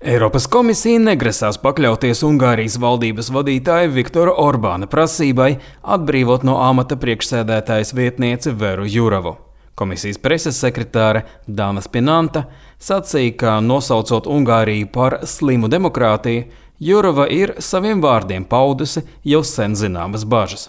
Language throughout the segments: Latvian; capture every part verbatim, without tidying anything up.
Eiropas komisija negrasās pakļauties Ungārijas valdības vadītāja Viktora Orbāna prasībai atbrīvot no amata priekšsēdētājas vietnieci Veru Jurovu. Komisijas preses sekretāre Dana Spinanta sacīja, ka nosaucot Ungāriju par slimu demokrātiju, Jurova ir saviem vārdiem paudusi jau sen zināmas bažas.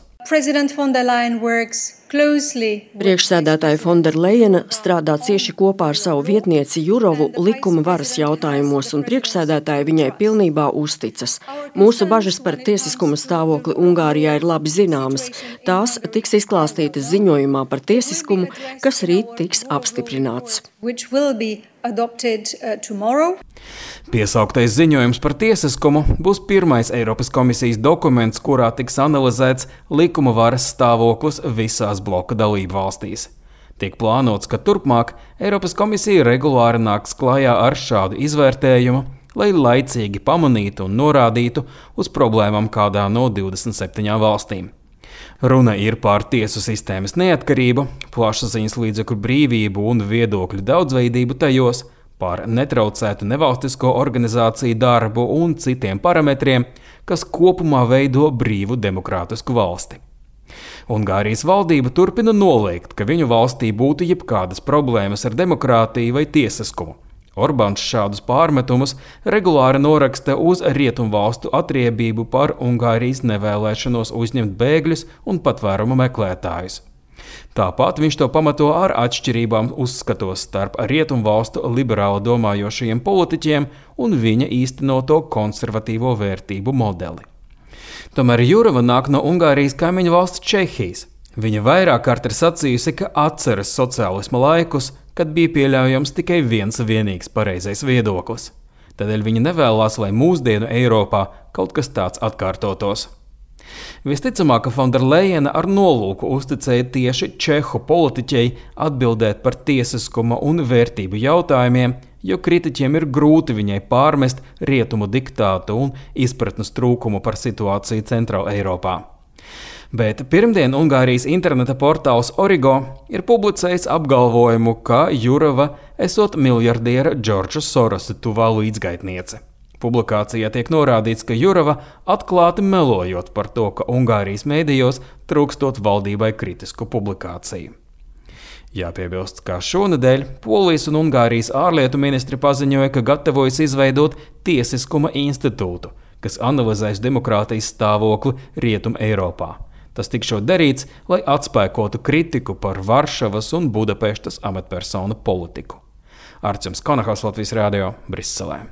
Priekšsēdētāja Fonderlejena strādā cieši kopā ar savu vietnieci Jurovu likuma varas jautājumos, un priekšsēdētāja viņai pilnībā uzticas. Mūsu bažas par tiesiskuma stāvokli Ungārijā ir labi zināmas. Tās tiks izklāstītas ziņojumā par tiesiskumu, kas rīt tiks apstiprināts. Piesauktais ziņojums par tiesiskumu būs pirmais Eiropas komisijas dokuments, kurā tiks analizēts likuma varas stāvoklis visās bloka dalību valstīs. Tiek plānots, ka turpmāk Eiropas komisija regulāri nāks klajā ar šādu izvērtējumu, lai laicīgi pamanītu un norādītu uz problēmām kādā no divdesmit septiņām valstīm. Runa ir par tiesu sistēmas neatkarību, plašsaziņas līdzekļu brīvību un viedokļu daudzveidību tajos, par netraucētu nevalstisko organizāciju darbu un citiem parametriem, kas kopumā veido brīvu demokrātisku valsti. Ungārijas valdība turpina noliegt, ka viņu valstī būtu jebkādas problēmas ar demokrātiju vai tiesiskumu. Orbāns šādus pārmetumus regulāri noraksta uz rietumvalstu atriebību par Ungārijas nevēlēšanos uzņemt bēgļus un patvērumu meklētājus. Tāpat viņš to pamato ar atšķirībām uzskatos starp rietumvalstu liberāli domājošajiem politiķiem un viņa īstenoto konservatīvo vērtību modeli. Tomēr Jurova nāk no Ungārijas kaimiņu valsts Čehijas. Viņa vairāk kārt ir sacījusi, ka atceras sociālisma laikus, kad bija pieļaujams tikai viens vienīgs pareizais viedoklis. Tādēļ viņa nevēlās, lai mūsdienu Eiropā kaut kas tāds atkārtotos. Visticamāk, ka Fonderlejena ar nolūku uzticēja tieši čehu politiķei atbildēt par tiesiskuma un vērtību jautājumiem, jo kritiķiem ir grūti viņai pārmest rietumu diktātu un izpratnes trūkumu par situāciju Centrāla Eiropā. Bet pirmdien Ungārijas interneta portāls Origo ir publicējis apgalvojumu, ka Jurova esot miljardiera Džordža Sorosa tuvā līdzgaitniece. Publikācijā tiek norādīts, ka Jurova atklāti melojot par to, ka Ungārijas mēdījos trūkstot valdībai kritisku publikāciju. Jāpiebilst, ka šonedēļ Polijas un Ungārijas ārlietu ministri paziņoja, ka gatavojas izveidot tiesiskuma institūtu, kas analizēs demokrātijas stāvokli Rietum Eiropā. Tas tikšot darīts, lai atspēkotu kritiku par Varšavas un Budapeštas amatpersonu politiku. Arčuns Konahaus, Latvijas radio, Briselē.